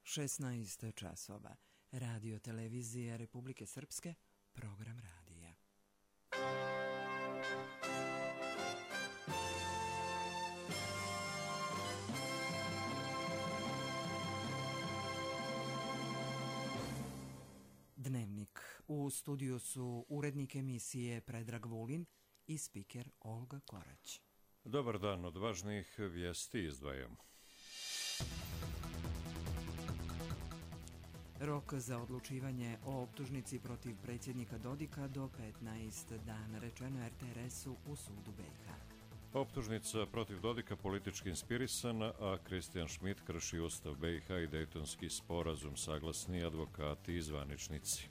16 časova. Radio televizija Republike Srpske, program radija. Dnevnik. U studiju su urednik emisije Predrag Vulin i spiker Olga Korać. Dobar dan, od važnih vijesti izdvajamo. Rok za odlučivanje o optužnici protiv predsjednika Dodika do 15 dana, rečeno RTRS-u u sudu BiH. Optužnica protiv Dodika politički inspirisana, a Kristijan Šmit krši Ustav BiH i Dejtonski sporazum, saglasni advokati i zvaničnici.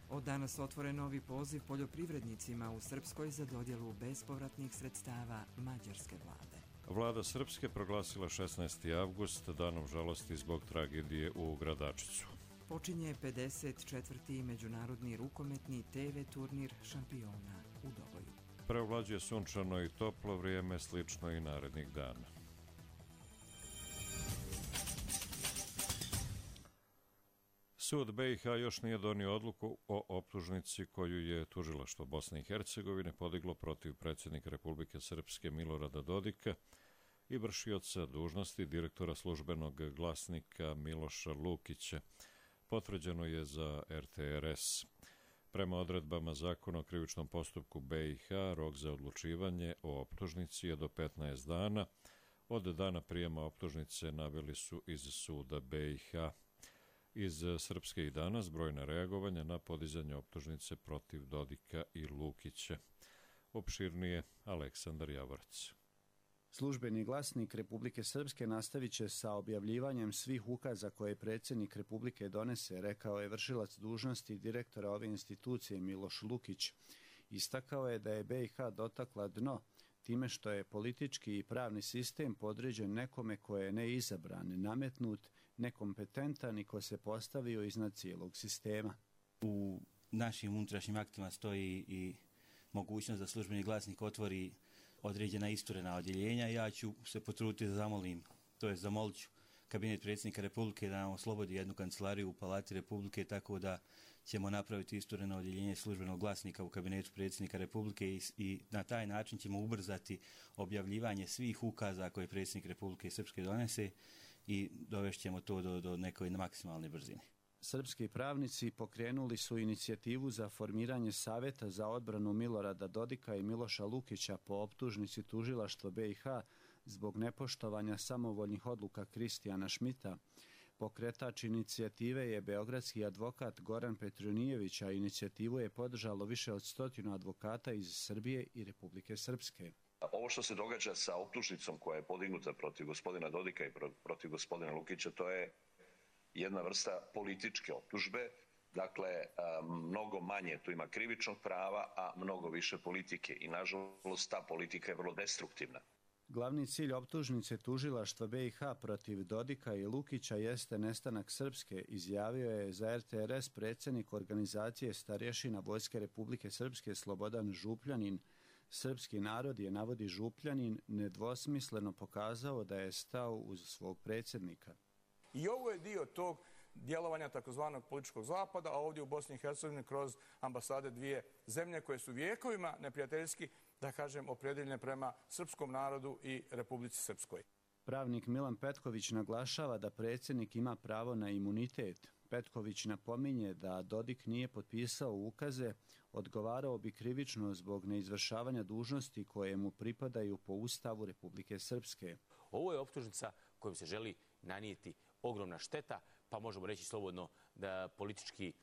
Od danas otvoren novi poziv poljoprivrednicima u Srpskoj za dodjelu bespovratnih sredstava mađarske vlade. Vlada Srpske proglasila 16. avgust danom žalosti zbog tragedije u Gradačcu. Počinje 54. međunarodni rukometni TV turnir šampiona u Doboju. Preovlađuje sunčano i toplo vrijeme, slično i narednih dana. Sud BiH još nije donio odluku o optužnici koju je tužilaštvo Bosne i Hercegovine podiglo protiv predsjednika Republike Srpske Milorada Dodika i vršioca dužnosti direktora službenog glasnika Miloša Lukića. Potvrđeno je za RTRS. Prema odredbama Zakona o krivičnom postupku BiH, rok za odlučivanje o optužnici je do 15 dana. Od dana prijema optužnice naveli su iz suda BiH. Iz Srpske i danas brojna reagovanja na podizanje optužnice protiv Dodika i Lukića. Opširnije Aleksandar Javorac. Službeni glasnik Republike Srpske nastavit će sa objavljivanjem svih ukaza koje predsjednik Republike donese, rekao je vršilac dužnosti direktora ove institucije Miloš Lukić. Istakao je da je BiH dotakla dno time što je politički i pravni sistem podređen nekome ko je neizabran, nametnut, nekompetentan i ko se postavio iznad cijelog sistema. U našim unutrašnjim aktima stoji i mogućnost da službeni glasnik otvori određena isturena odjeljenja. Ja ću se potruditi da zamolit ću kabinet predsjednika Republike da nam oslobodi jednu kancelariju u Palati Republike, tako da ćemo napraviti istureno odjeljenje službenog glasnika u kabinetu predsjednika Republike i na taj način ćemo ubrzati objavljivanje svih ukaza koje predsjednik Republike Srpske donese i dovešćemo to do nekoj maksimalne brzine. Srpski pravnici pokrenuli su inicijativu za formiranje Savjeta za odbranu Milorada Dodika i Miloša Lukića po optužnici tužilaštva BiH zbog nepoštovanja samovoljnih odluka Kristijana Šmita. Pokretač inicijative je beogradski advokat Goran Petronijević, a inicijativu je podržalo više od 100 advokata iz Srbije i Republike Srpske. Ovo što se događa sa optužnicom koja je podignuta protiv gospodina Dodika i protiv gospodina Lukića, to je jedna vrsta političke optužbe, dakle mnogo manje tu ima krivičnog prava, a mnogo više politike i nažalost ta politika je vrlo destruktivna. Glavni cilj optužnice tužilaštva BiH protiv Dodika i Lukića jeste nestanak Srpske, izjavio je za RTRS predsjednik organizacije starješina Vojske Republike Srpske Slobodan Župljanin. Srpski narod je, navodi Župljanin, nedvosmisleno pokazao da je stao uz svog predsjednika. I ovo je dio tog djelovanja takozvanog političkog zapada, a ovdje u Bosni i Hercegovini kroz ambasade dvije zemlje koje su vijekovima neprijateljski, da kažem, opredjeljene prema srpskom narodu i Republici Srpskoj. Pravnik Milan Petković naglašava da predsjednik ima pravo na imunitet. Petković napominje da Dodik nije potpisao ukaze, odgovarao bi krivično zbog neizvršavanja dužnosti koje mu pripadaju po Ustavu Republike Srpske. Ovo je optužnica kojom se želi nanijeti ogromna šteta, pa možemo reći slobodno da politički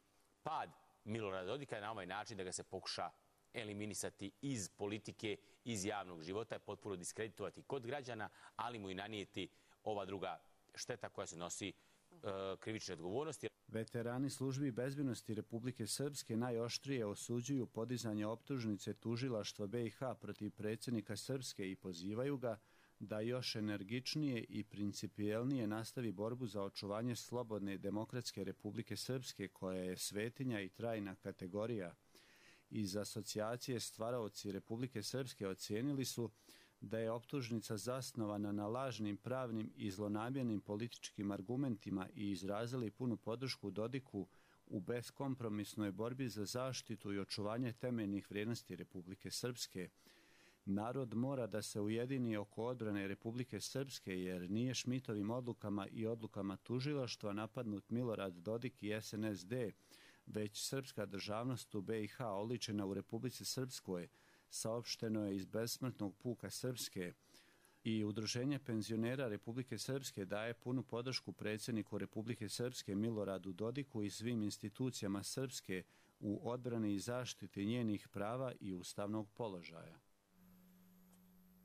pad Milorada Dodika je na ovaj način da ga se pokuša eliminisati iz politike, iz javnog života, potpuno diskreditovati kod građana, ali mu i nanijeti ova druga šteta koja se nosi krivične odgovornosti. Veterani službi bezbjednosti Republike Srpske najoštrije osuđuju podizanje optužnice tužilaštva BiH protiv predsjednika Srpske i pozivaju ga da još energičnije i principijelnije nastavi borbu za očuvanje slobodne demokratske Republike Srpske, koja je svetinja i trajna kategorija. Iz asocijacije Stvaraoci Republike Srpske ocijenili su da je optužnica zasnovana na lažnim pravnim i zlonamjernim političkim argumentima i izrazili punu podršku Dodiku u beskompromisnoj borbi za zaštitu i očuvanje temeljnih vrijednosti Republike Srpske. Narod mora da se ujedini oko odbrane Republike Srpske, jer nije Šmitovim odlukama i odlukama tužilaštva napadnut Milorad Dodik i SNSD, već srpska državnost u BiH oličena u Republici Srpskoj, saopšteno je iz Besmrtnog puka Srpske. I Udruženje penzionera Republike Srpske daje punu podršku predsjedniku Republike Srpske Miloradu Dodiku i svim institucijama Srpske u odbrani i zaštiti njenih prava i ustavnog položaja.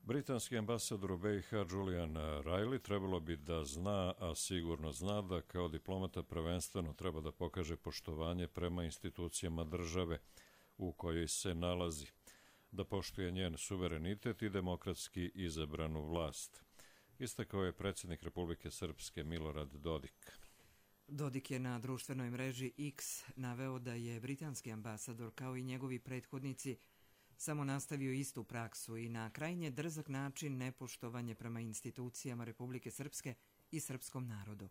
Britanski ambasador u BiH Julian Riley trebalo bi da zna, a sigurno zna, da kao diplomata prvenstveno treba da pokaže poštovanje prema institucijama države u kojoj se nalazi, da poštuje njen suverenitet i demokratski izabranu vlast. Istakao je predsjednik Republike Srpske Milorad Dodik. Dodik je na društvenoj mreži X naveo da je britanski ambasador kao i njegovi prethodnici samo nastavio istu praksu i na krajnje drzak način nepoštovanje prema institucijama Republike Srpske i srpskom narodu.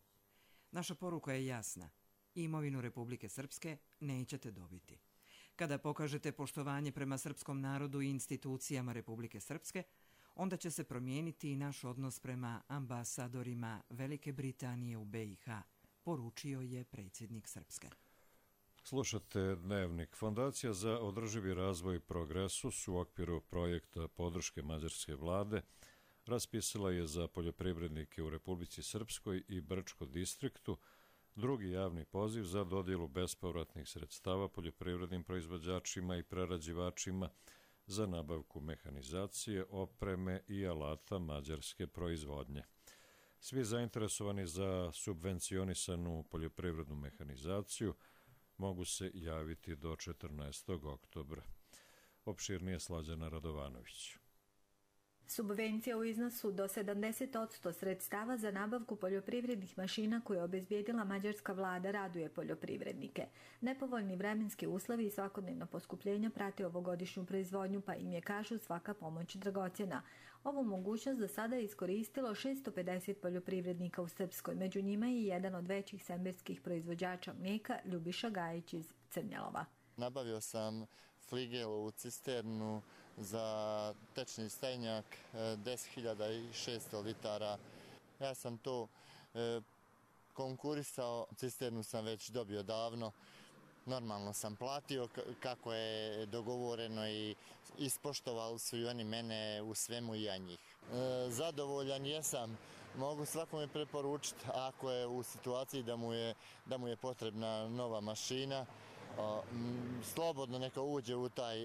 Naša poruka je jasna. Imovinu Republike Srpske nećete dobiti. Kada pokažete poštovanje prema srpskom narodu i institucijama Republike Srpske, onda će se promijeniti i naš odnos prema ambasadorima Velike Britanije u BiH, poručio je predsjednik Srpske. Slušate Dnevnik. Fondacija za održivi razvoj Progresus u okviru projekta podrške mađarske vlade raspisala je za poljoprivrednike u Republici Srpskoj i Brčko distriktu drugi javni poziv za dodjelu bespovratnih sredstava poljoprivrednim proizvođačima i prerađivačima za nabavku mehanizacije, opreme i alata mađarske proizvodnje. Svi zainteresovani za subvencionisanu poljoprivrednu mehanizaciju mogu se javiti do 14. oktobra. Opširnije Slađana Radovanović. Subvencija u iznosu do 70% sredstava za nabavku poljoprivrednih mašina koje je obezbijedila mađarska vlada raduje poljoprivrednike. Nepovoljni vremenski uslovi i svakodnevno poskupljenja prate ovogodišnju proizvodnju, pa im je, kažu, svaka pomoć dragocjena. Ovu mogućnost do sada je iskoristilo 650 poljoprivrednika u Srpskoj. Među njima je jedan od većih semberskih proizvođača mlijeka, Ljubiša Gajić iz Crnjalova. Nabavio sam fligelu cisternu za tečni stajnjak 10.600 litara. Ja sam to konkurisao, cisternu sam već dobio davno. Normalno sam platio kako je dogovoreno i ispoštovali su i oni mene u svemu i ja njih. Zadovoljan jesam. Mogu svakome preporučiti ako je u situaciji da mu je potrebna nova mašina, slobodno neka uđe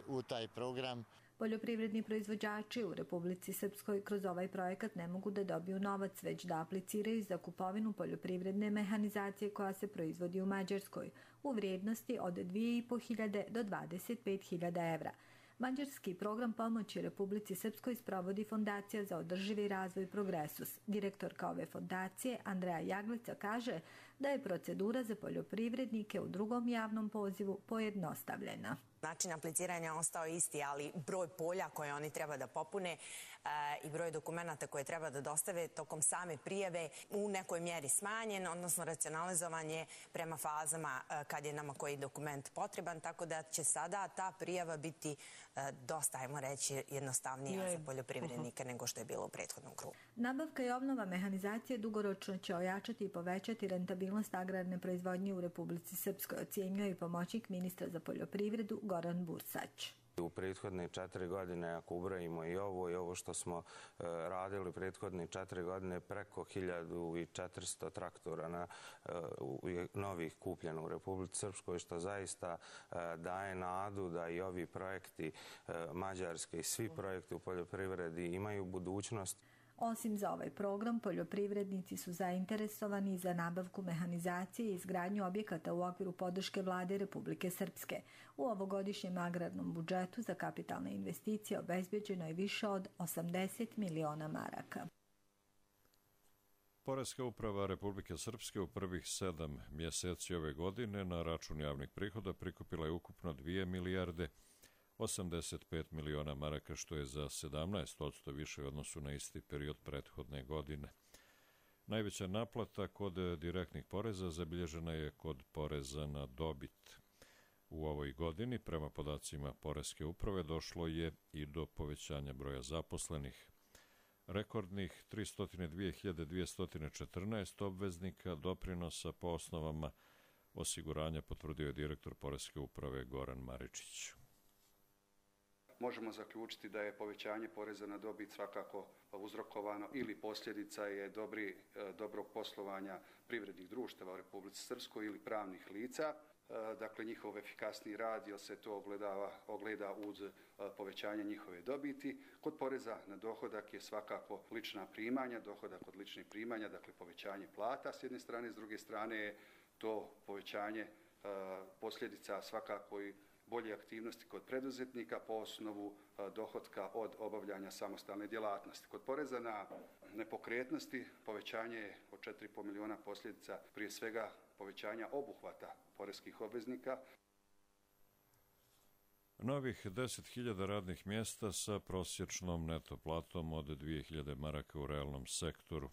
u taj program. Poljoprivredni proizvođači u Republici Srpskoj kroz ovaj projekat ne mogu da dobiju novac, već da apliciraju za kupovinu poljoprivredne mehanizacije koja se proizvodi u Mađarskoj u vrijednosti od 2.500 do 25.000 evra. Mađarski program pomoći Republici Srpskoj sprovodi Fondacija za održivi razvoj Progresus. Direktorka ove fondacije, Andreja Jaglica, kaže da je procedura za poljoprivrednike u drugom javnom pozivu pojednostavljena. Način apliciranja ostao isti, ali broj polja koje oni treba da popune i broj dokumenata koje treba da dostave tokom same prijave u nekoj mjeri smanjen, odnosno racionalizovan je prema fazama kad je nama koji dokument potreban, tako da će sada ta prijava biti dosta, ajmo reći, jednostavnija za poljoprivrednike nego što je bilo u prethodnom krugu. Nabavka i obnova mehanizacije dugoročno će ojačati i povećati rentabilnost agrarne proizvodnje u Republici Srpskoj, ocjenjuje i pomoćnik ministra za poljoprivredu Goran Bursać. U prethodne 4 godine, ako ubrojimo i ovo što smo radili prethodne 4 godine, preko 1400 traktora novih kupljeno u Republici Srpskoj, što zaista daje nadu da i ovi projekti Mađarske i svi projekti u poljoprivredi imaju budućnost. Osim za ovaj program, poljoprivrednici su zainteresovani za nabavku mehanizacije i izgradnju objekata u okviru podrške vlade Republike Srpske. U ovogodišnjem agrarnom budžetu za kapitalne investicije obezbeđeno je više od 80 miliona maraka. Poreska uprava Republike Srpske u prvih 7 mjeseci ove godine na račun javnih prihoda prikupila je ukupno 2 milijarde 85 miliona maraka, što je za 17% više u odnosu na isti period prethodne godine. Najveća naplata kod direktnih poreza zabilježena je kod poreza na dobit. U ovoj godini, prema podacima Poreske uprave, došlo je i do povećanja broja zaposlenih. Rekordnih 302.214 obveznika doprinosa po osnovama osiguranja potvrdio je direktor Poreske uprave Goran Maričić. Možemo zaključiti da je povećanje poreza na dobit svakako uzrokovano ili posljedica je dobrog poslovanja privrednih društava u Republici Srpskoj ili pravnih lica. Dakle, njihov efikasniji rad, jer se to ogleda uz povećanje njihove dobiti. Kod poreza na dohodak je svakako lična primanja, dohodak od ličnih primanja, dakle povećanje plata s jedne strane, s druge strane je to povećanje posljedica svakako i bolje aktivnosti kod preduzetnika po osnovu dohotka od obavljanja samostalne djelatnosti. Kod poreza na nepokretnosti povećanje je od 4,5 miliona posljedica prije svega povećanja obuhvata poreskih obveznika. Novih 10.000 radnih mjesta sa prosječnom neto platom od 2.000 maraka u realnom sektoru.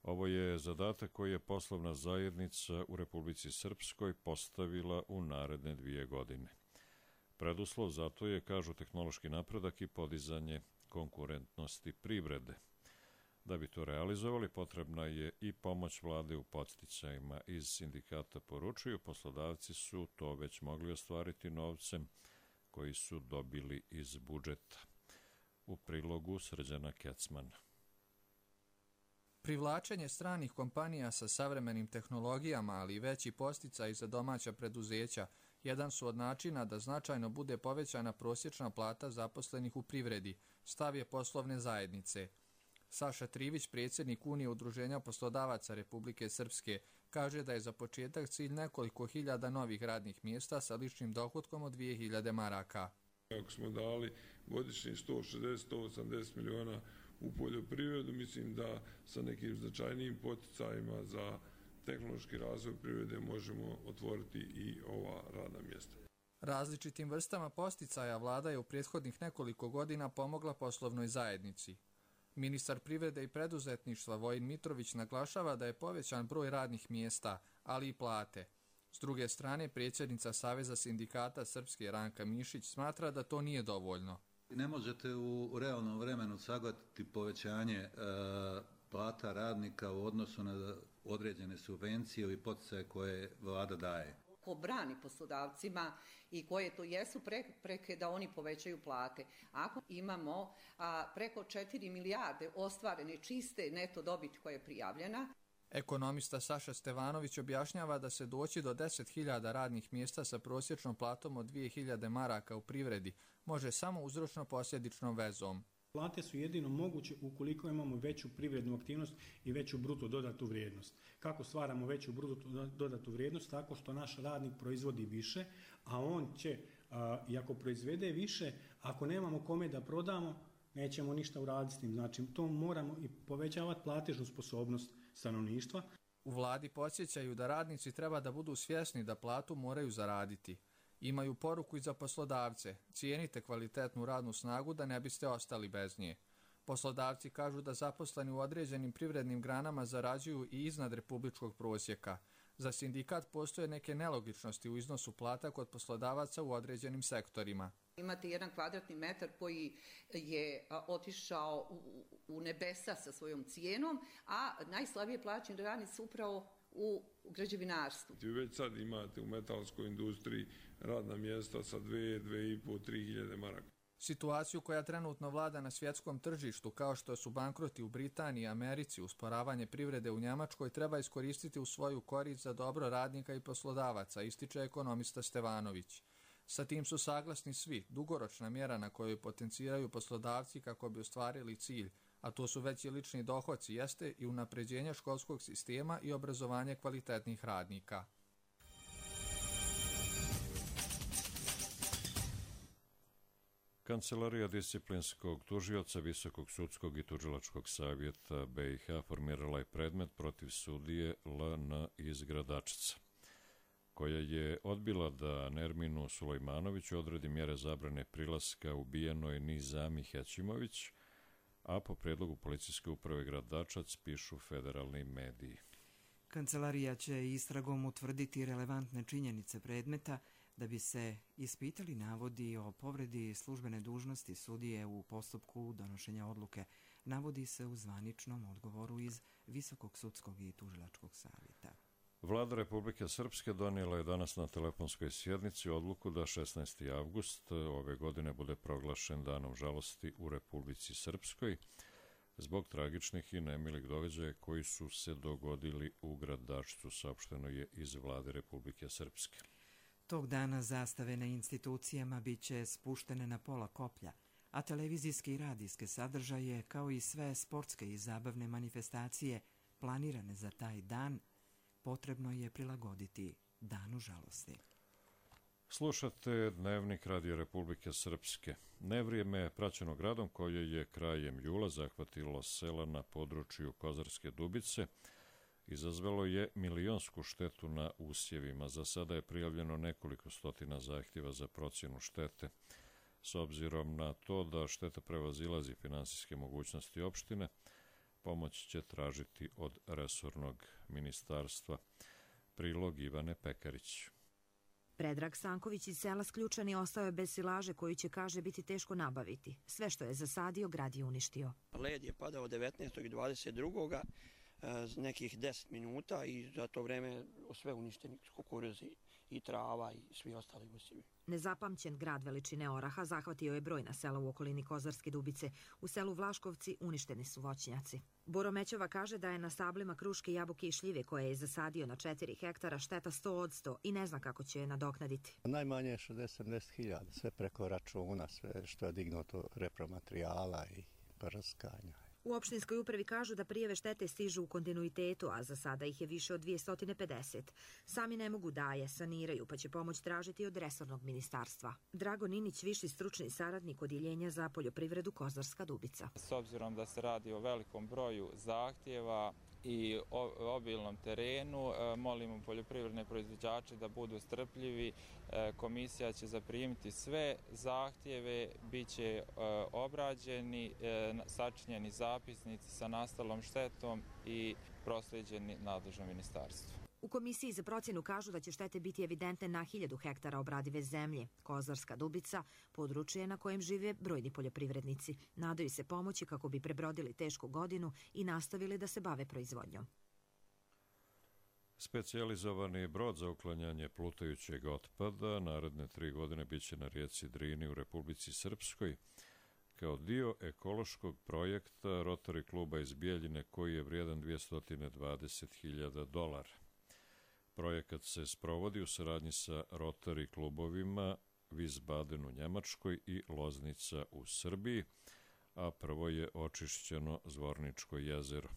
Ovo je zadatak koji je poslovna zajednica u Republici Srpskoj postavila u naredne 2 godine. Preduslov za to je, kažu, tehnološki napredak i podizanje konkurentnosti privrede. Da bi to realizovali, potrebna je i pomoć vlade u podsticajima. Iz sindikata poručuju, poslodavci su to već mogli ostvariti novcem koji su dobili iz budžeta. U prilogu Srđana Kecmana. Privlačenje stranih kompanija sa savremenim tehnologijama, ali i veći podsticaj za domaća preduzeća, jedan su od načina da značajno bude povećana prosječna plata zaposlenih u privredi, stav je poslovne zajednice. Saša Trivić, predsjednik Unije udruženja poslodavaca Republike Srpske, kaže da je za početak cilj nekoliko hiljada novih radnih mjesta sa ličnim dohotkom od 2.000 maraka. Ako smo dali godišnji 160-180 miliona u poljoprivredu, mislim da sa nekim značajnijim poticajima za tehnološki razvoj privrede možemo otvoriti i ova radna mjesta. Različitim vrstama podsticaja vlada je u prethodnih nekoliko godina pomogla poslovnoj zajednici. Ministar privrede i preduzetništva Vojin Mitrović naglašava da je povećan broj radnih mjesta, ali i plate. S druge strane, predsjednica Saveza sindikata Srpske Ranka Mišić smatra da to nije dovoljno. Ne možete u realnom vremenu sagledati povećanje plata radnika u odnosu na određene subvencije ili poticaje koje vlada daje. Ko brani poslodavcima i koje to jesu prepreke da oni povećaju plate. Ako imamo preko 4 milijarde ostvarene čiste neto dobiti koja je prijavljena. Ekonomista Saša Stevanović objašnjava da se doći do 10.000 radnih mjesta sa prosječnom platom od 2.000 maraka u privredi može samo uzročno-posljedičnom vezom. Plate su jedino moguće ukoliko imamo veću privrednu aktivnost i veću bruto dodatu vrijednost. Kako stvaramo veću bruto dodatu vrijednost? Tako što naš radnik proizvodi više, a on će, i ako proizvede više, ako nemamo kome da prodamo, nećemo ništa uraditi s tim. Znači, to moramo i povećavati platežnu sposobnost stanovništva. U vladi podsjećaju da radnici treba da budu svjesni da platu moraju zaraditi. Imaju poruku i za poslodavce. Cijenite kvalitetnu radnu snagu da ne biste ostali bez nje. Poslodavci kažu da zaposleni u određenim privrednim granama zarađuju i iznad republičkog prosjeka. Za sindikat postoje neke nelogičnosti u iznosu plata kod poslodavaca u određenim sektorima. Imate 1 kvadratni metar koji je otišao u nebesa sa svojom cijenom, a najslabije plaćeni radnici su upravo u građevinarstvu. Već sad imate u metalskoj industriji radna mjesta sa 2.500, 3.000 maraka. Situaciju koja trenutno vlada na svjetskom tržištu, kao što su bankroti u Britaniji i Americi, usporavanje privrede u Njemačkoj, treba iskoristiti u svoju korist za dobro radnika i poslodavaca, ističe ekonomista Stevanović. Sa tim su saglasni svi, dugoročna mjera na kojoj potenciraju poslodavci kako bi ostvarili cilj, a to su veći lični dohoci, jeste i unapređenje školskog sistema i obrazovanje kvalitetnih radnika. Kancelarija disciplinskog tužioca Visokog sudskog i tužilačkog savjeta BiH formirala je predmet protiv sudije LN iz Gradačca. koja je odbila da Nerminu Sulejmanoviću odredi mjere zabrane prilaska ubijenoj Nizami Hećimović, a po predlogu policijske uprave grad Dačac pišu federalni mediji. Kancelarija će istragom utvrditi relevantne činjenice predmeta da bi se ispitali navodi o povredi službene dužnosti sudije u postupku donošenja odluke, navodi se u zvaničnom odgovoru iz Visokog sudskog i tužilačkog savjeta. Vlada Republike Srpske donijela je danas na telefonskoj sjednici odluku da 16. avgust ove godine bude proglašen danom žalosti u Republici Srpskoj zbog tragičnih i nemilih događaja koji su se dogodili u Gradačcu, saopšteno je iz Vlade Republike Srpske. Tog dana zastave na institucijama bit će spuštene na pola koplja, a televizijske i radijske sadržaje, kao i sve sportske i zabavne manifestacije planirane za taj dan, potrebno je prilagoditi danu žalosti. Slušate Dnevnik Radija Republike Srpske. Nevrijeme je praćeno gradom koje je krajem jula zahvatilo sela na području Kozarske Dubice. Izazvalo je milionsku štetu na usjevima. Za sada je prijavljeno nekoliko stotina zahtjeva za procjenu štete. S obzirom na to da šteta prevazilazi finansijske mogućnosti opštine, pomoć će tražiti od resornog ministarstva. Prilog Ivane Pekarić. Predrag Stanković iz sela Sključani ostao je bez silaže koju će, kaže, biti teško nabaviti. Sve što je zasadio, grad je uništio. Led je padao 19. i 22. nekih 10 minuta i za to vreme sve uništeni kukuruzi i trava i svi ostali usjevi. Nezapamćen grad veličine oraha zahvatio je brojna sela u okolini Kozarske Dubice. U selu Vlaškovci uništeni su voćnjaci. Boro Mećova kaže da je na stablima kruške, jabuke i šljive koje je zasadio na 4 hektara šteta 100% i ne zna kako će je nadoknaditi. Najmanje je 60-70.000, sve preko računa, sve što je dignuto repromaterijala i prskanja. U opštinskoj upravi kažu da prijave štete stižu u kontinuitetu, a za sada ih je više od 250. Sami ne mogu da je saniraju, pa će pomoć tražiti od resornog ministarstva. Drago Ninić, viši stručni saradnik Odjeljenja za poljoprivredu Kozarska Dubica. S obzirom da se radi o velikom broju zahtjeva i obilnom terenu, molimo poljoprivredne proizvođače da budu strpljivi. Komisija će zaprimiti sve zahtjeve, bit će obrađeni, sačinjeni zapisnici sa nastalom štetom i proslijeđeni nadležnom ministarstvu. U komisiji za procjenu kažu da će štete biti evidentne na 1000 hektara obradive zemlje. Kozarska Dubica područje na kojem žive brojni poljoprivrednici. Nadaju se pomoći kako bi prebrodili tešku godinu i nastavili da se bave proizvodnjom. Specijalizovani brod za uklanjanje plutajućeg otpada naredne 3 godine biće na rijeci Drini u Republici Srpskoj kao dio ekološkog projekta Rotary kluba iz Bijeljine koji je vrijedan $220.000. Projekat se sprovodi u saradnji sa Rotary klubovima Wiesbaden u Njemačkoj i Loznica u Srbiji, a prvo je očišćeno Zvorničko jezero,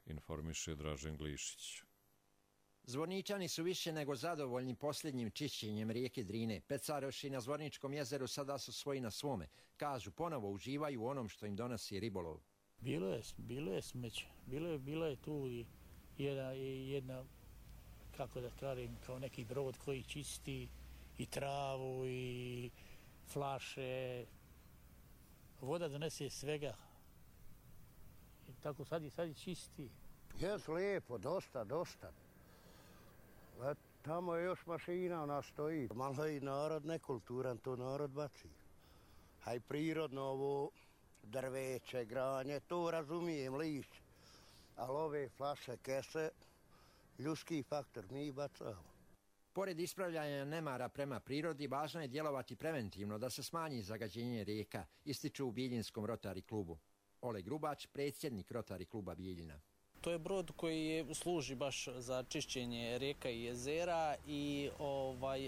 informiše Dražen Glišić. Zvorničani su više nego zadovoljni posljednjim čišćenjem rijeke Drine. Pecaroši na Zvorničkom jezeru sada su svoji na svome. Kažu, ponovo uživaju u onom što im donosi ribolov. Bilo je smeće. Bilo je tu i jedna, kako da kažem, kao neki brod koji čisti i travu i flaše. Voda donese svega. I tako sad je čisti. Jes lijepo, dosta. Tamo je još mašina, ona stoji. Malo je i narod nekulturan, to narod baci. A i prirodno ovo drveće, granje, to razumijem, lišće. Ali ove flaše, kese, ljudski faktor, mi bacamo. Pored ispravljanja nemara prema prirodi, važno je djelovati preventivno da se smanji zagađenje rijeka, ističu u Biljinskom Rotary klubu. Oleg Grubač, predsjednik Rotary kluba Bijeljina. To je brod koji služi baš za čišćenje rijeka i jezera i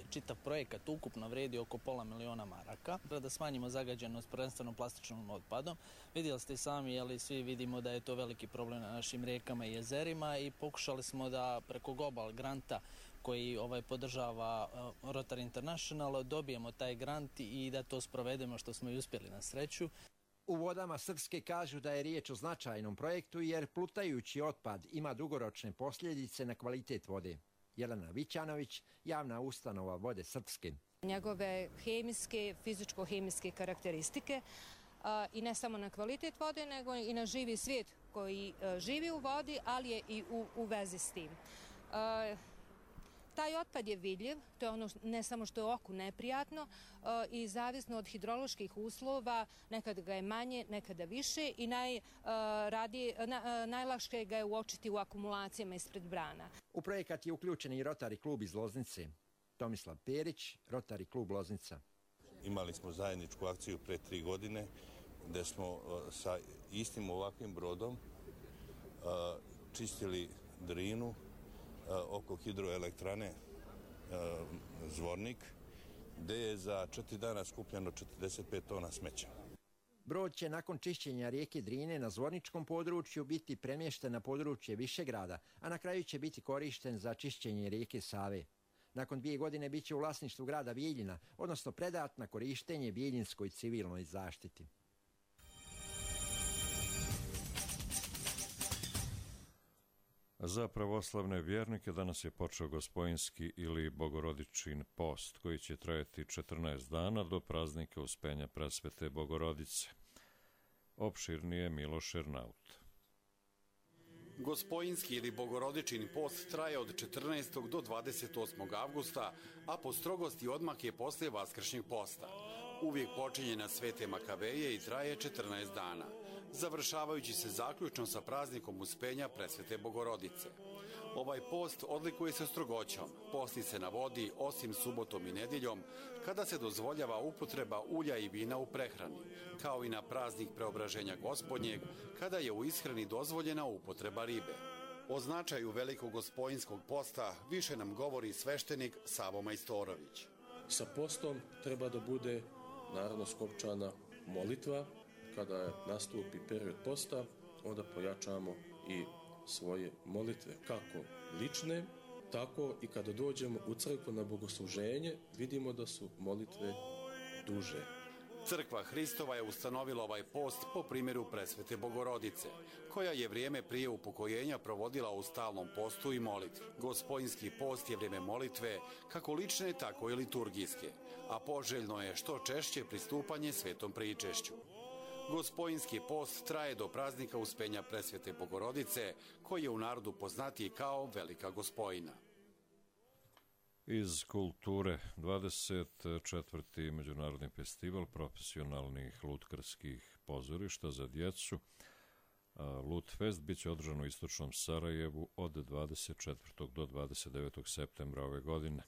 čitav projekat ukupno vredi oko $500.000. Da smanjimo zagađenost prvenstveno plastičnom otpadom. Vidjeli ste sami, ali svi vidimo da je to veliki problem na našim rijekama i jezerima i pokušali smo da preko Global granta koji podržava Rotary International dobijemo taj grant i da to sprovedemo, što smo i uspjeli na sreću. U vodama Srpske kažu da je riječ o značajnom projektu jer plutajući otpad ima dugoročne posljedice na kvalitet vode. Jelena Vićanović, javna ustanova Vode Srpske. Njegove hemijske, fizičko-hemijske karakteristike i ne samo na kvalitet vode, nego i na živi svijet koji živi u vodi, ali je i u vezi s tim. Taj otpad je vidljiv, to je ono ne samo što je oku neprijatno i zavisno od hidroloških uslova, nekada ga je manje, nekada više i najlakše ga je uočiti u akumulacijama ispred brana. U projekat je uključen i Rotary klub iz Loznice. Tomislav Perić, Rotary klub Loznica. Imali smo zajedničku akciju pre 3 godine gde smo sa istim ovakvim brodom čistili Drinu oko hidroelektrane Zvornik, gde je za 4 dana skupljeno 45 tona smeća. Brod će nakon čišćenja rijeke Drine na Zvorničkom području biti premješten na područje Višegrada, a na kraju će biti korišten za čišćenje rijeke Save. Nakon 2 godine bit će u vlasništvu grada Bijeljina, odnosno predat na korištenje Bijeljinskoj civilnoj zaštiti. Za pravoslavne vjernike danas je počeo Gospojinski ili Bogorodičin post, koji će trajati 14 dana do praznika Uspenja Presvete Bogorodice. Opširnije Miloš Ernaut. Gospojinski ili Bogorodičin post traje od 14. do 28. avgusta, a po strogosti odmah je poslije Vaskršnjeg posta. Uvijek počinje na Svete Makabeje i traje 14 dana, završavajući se zaključno sa praznikom Uspenja Presvete Bogorodice. Ovaj post odlikuje se strogoćom, posti se na vodi osim subotom i nedjeljom, kada se dozvoljava upotreba ulja i vina u prehrani, kao i na praznik Preobraženja Gospodnjeg, kada je u ishrani dozvoljena upotreba ribe. O značaju velikog Gospojinskog posta više nam govori sveštenik Savo Majstorović. Sa postom treba da bude naravno skopčana molitva. Kada nastupi period posta, onda pojačamo i svoje molitve, kako lične, tako i kada dođemo u crkvu na bogosluženje, vidimo da su molitve duže. Crkva Hristova je ustanovila ovaj post po primjeru Presvete Bogorodice, koja je vrijeme prije upokojenja provodila u stalnom postu i molitvi. Gospojinski post je vrijeme molitve, kako lične, tako i liturgijske, a poželjno je što češće pristupanje svetom pričešću. Gospojinski post traje do praznika Uspenja Presvete Bogorodice, koji je u narodu poznatiji kao Velika Gospojina. Iz kulture 24. Međunarodni festival profesionalnih lutkarskih pozorišta za djecu Lutfest biće održan u istočnom Sarajevu od 24. do 29. septembra ove godine.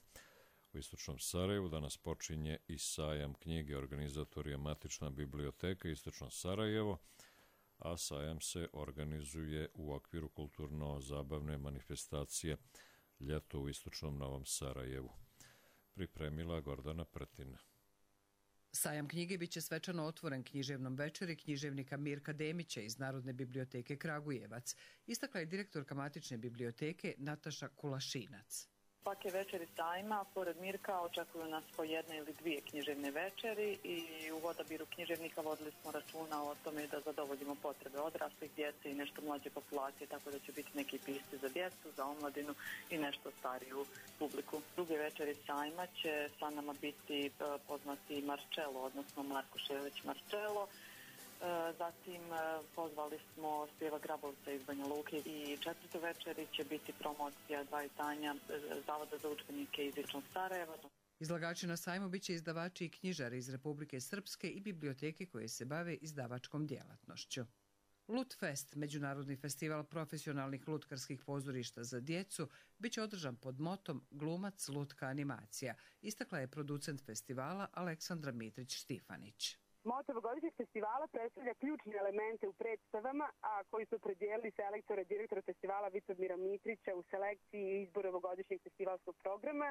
U istočnom Sarajevu danas počinje i sajam knjige. Organizator je Matična biblioteka Istočno Sarajevo, a sajam se organizuje u okviru kulturno-zabavne manifestacije Ljeto u istočnom Novom Sarajevu. Pripremila Gordana Pretina. Sajam knjige biće svečano otvoren književnom večeri književnika Mirka Demića iz Narodne biblioteke Kragujevac, istakla je direktorka Matične biblioteke Nataša Kulašinac. Svake večeri sajma, pored Mirka, očekuju nas po 1 ili 2 književne večeri i u odabiru književnika vodili smo računa o tome da zadovoljimo potrebe odraslih, djece i nešto mlađe populacije, tako da će biti neki pisci za djecu, za omladinu i nešto stariju publiku. Druge večeri sajma će sa nama biti poznati Marcello, odnosno Marko Šelić Marcello. Zatim pozvali smo Spjeva Grabovca iz Banja Luke i 4. večeri će biti promocija 2 izdanja Zavoda za udžbenike iz Istočnog Sarajeva. Izlagači na sajmu biće izdavači i knjižari iz Republike Srpske i biblioteke koje se bave izdavačkom djelatnošću. Lutfest, međunarodni festival profesionalnih lutkarskih pozorišta za djecu, biće održan pod motom Glumac, lutka, animacija, istakla je producent festivala Aleksandra Mitrić-Štifanić. Moto ovogodišnjeg festivala predstavlja ključne elemente u predstavama, a koji su opredijelili selektore direktora festivala Vitomira Mitrića u selekciji i izboru ovogodišnjeg festivalskog programa,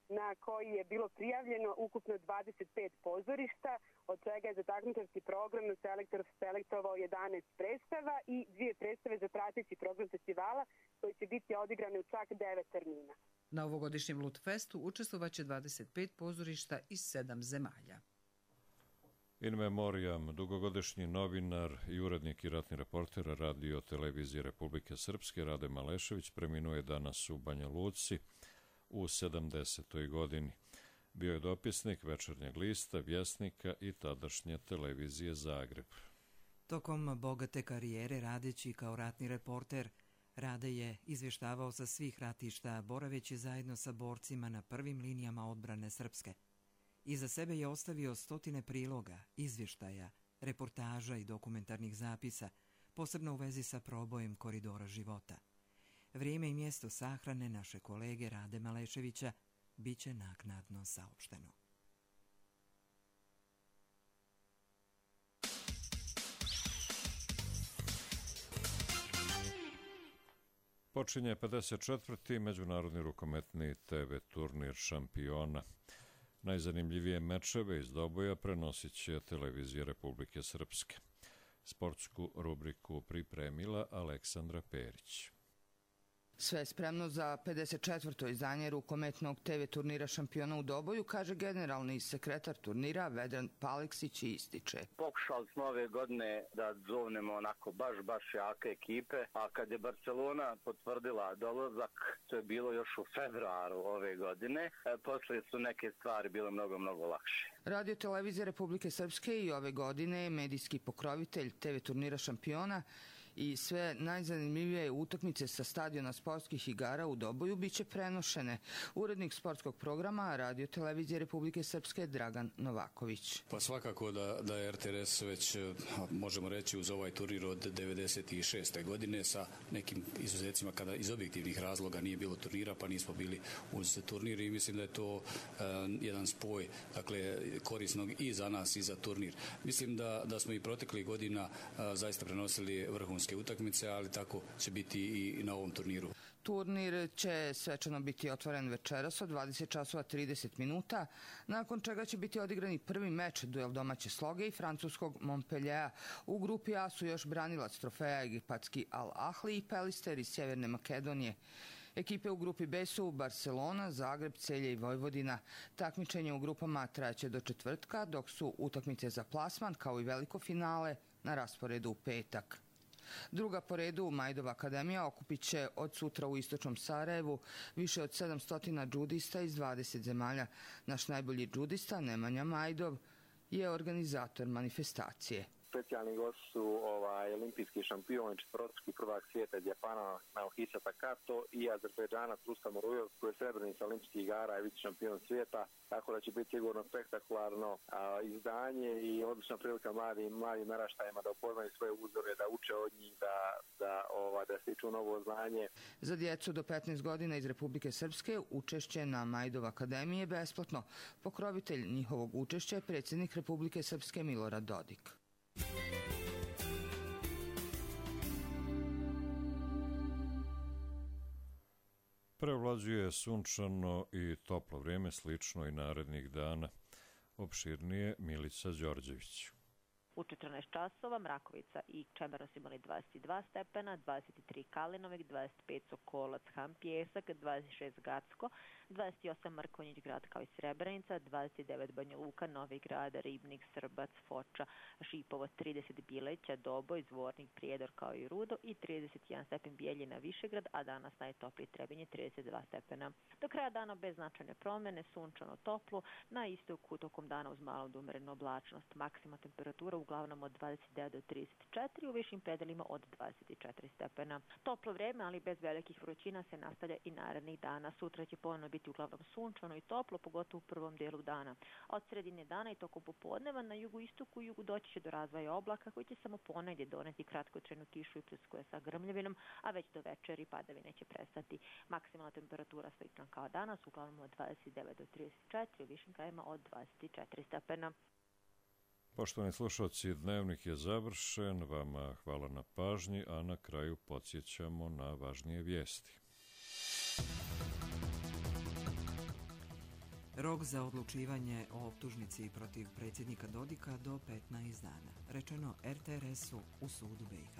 na koji je bilo prijavljeno ukupno 25 pozorišta, od čega je za takmičarski program selektor selektovao 11 predstava i 2 predstave za prateći program festivala, koji će biti odigrane u čak 9 termina. Na ovogodišnjem Lutfestu učestvovaće 25 pozorišta iz 7 zemalja. In memoriam, dugogodišnji novinar i urednik i ratni reporter Radio televizije Republike Srpske Rade Malešević preminuo je danas u Banja Luci u 70. godini. Bio je dopisnik Večernjeg lista, Vjesnika i tadašnje televizije Zagreb. Tokom bogate karijere radeći kao ratni reporter, Rade je izvještavao sa svih ratišta, boraveći zajedno sa borcima na prvim linijama odbrane Srpske. Iza sebe je ostavio stotine priloga, izvještaja, reportaža i dokumentarnih zapisa, posebno u vezi sa probojem koridora života. Vrijeme i mjesto sahrane naše kolege Rade Maleševića biće naknadno saopšteno. Počinje 54. međunarodni rukometni TV turnir šampiona. Najzanimljivije mečeve iz doboja prenosit će televizija Republike Srpske. Sportsku rubriku pripremila Aleksandra Perić. Sve je spremno za 54. izdanje rukometnog TV turnira šampiona u doboju, kaže generalni sekretar turnira Vedran Paleksić i ističe. Pokušali smo ove godine da zovnemo onako baš jake ekipe, a kad je Barcelona potvrdila dolazak, to je bilo još u februaru ove godine, poslije su neke stvari bile mnogo lakše. Radio televizija Republike Srpske i ove godine je medijski pokrovitelj TV turnira šampiona i sve najzanimljivije utakmice sa stadiona sportskih igara u doboju biće prenošene. Urednik sportskog programa Radio televizije Republike Srpske Dragan Novaković. Pa svakako da je RTS već, možemo reći, uz ovaj turnir od 96. godine sa nekim izuzecima kada iz objektivnih razloga nije bilo turnira, pa nismo bili uz turnir i mislim da je to jedan spoj, dakle, korisnog i za nas i za turnir. Mislim da smo i proteklih godina zaista prenosili vrhunske utakmice, ali tako će biti i na ovom turniru. Turnir će svečano biti otvoren večeras od 20 časova 30 minuta, nakon čega će biti odigrani prvi meč, duel domaće Sloge i francuskog Montpelliera. U grupi A su još branilac trofeja egipatski Al Ahli i Pelister iz Sjeverne Makedonije. Ekipe u grupi B su Barcelona, Zagreb, Celje i Vojvodina. Takmičenje u grupama trajaće do četvrtka, dok su utakmice za plasman, kao i veliko finale, na rasporedu u petak. Druga po redu, Majdova akademija, okupit će od sutra u istočnom Sarajevu više od 700 džudista iz 20 zemalja. Naš najbolji džudista, Nemanja Majdov, je organizator manifestacije. Specijalni gost su olimpijski šampion, četvrtostruki prvak svijeta iz Japana Naohisa Takato i Azerbejdžanac Rustam Urujov, koji je srebrnica olimpijskih igara i vice šampion svijeta, tako da će biti sigurno spektakularno izdanje i odlična prilika mladim naraštajima da upoznaju svoje uzore, da uče od njih, da stiču novo znanje. Za djecu do 15 godina iz Republike Srpske učešće na Majdov akademiji je besplatno. Pokrovitelj njihovog učešća je predsjednik Republike Srpske Milorad Dodik. Prevlađuje sunčano i toplo vrijeme, slično i narednih dana. Opširnije Milica Đorđević. U 14 časova Mrakovica i Čemeros imali 22 stepena, 23 Kalinovik, 25 Sokolac, Han Pjesak, 26 Gacko, 28 Mrkonjić grad kao i Srebrenica, 29 Banja Luka, Novi Grad, Ribnik, Srbac, Foča, Šipovo, 30 Bileća, Doboj, Zvornik, Prijedor kao i Rudo i 31 stepen Bijeljina, Višegrad, a danas najtopliji Trebinje 32 stepena. Do kraja dana bez značajne promjene, sunčano toplo, na istoku tokom dana uz malo do umerenu oblačnost. Maksimalna temperatura uglavnom od 29 do 34, u višim predelima od 24 stepena. Toplo vrijeme, ali bez velikih vrućina se nastavlja i narednih dana. Sutra će ponovno biti uglavnom sunčano i toplo, pogotovo u prvom dijelu dana. Od sredine dana i tokom popodneva na jugoistoku i jugu doći će do razvoja oblaka koji će samo ponegdje doneti kratkotrajnu kišu i pljuskuje sa grmljavinom, a već do večeri padavine će prestati. Maksimalna temperatura slična kao danas, uglavnom od 29 do 34, u višim krajima od 24 stepena. Poštovani slušalci, dnevnik je završen, vama hvala na pažnji, a na kraju podsjećamo na važnije vijesti. Rok za odlučivanje o optužnici protiv predsjednika Dodika do 15 dana. Rečeno RTRS-u u sudu BiH.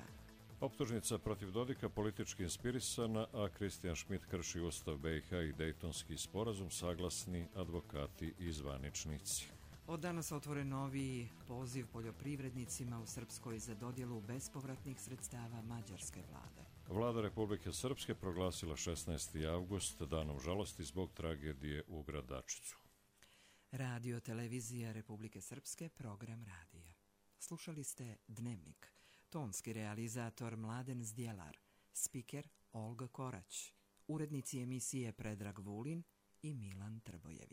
Optužnica protiv Dodika politički inspirisana, a Kristijan Šmit krši Ustav BiH i Dejtonski sporazum, saglasni advokati i zvaničnici. Od danas otvoren novi poziv poljoprivrednicima u Srpskoj za dodjelu bespovratnih sredstava mađarske vlade. Vlada Republike Srpske proglasila 16. avgust danom žalosti zbog tragedije u Gradačicu. Radio Televizija Republike Srpske, program radija. Slušali ste Dnevnik. Tonski realizator Mladen Zdjelar, spiker Olga Korać, urednici emisije Predrag Vulin i Milan Trbojević.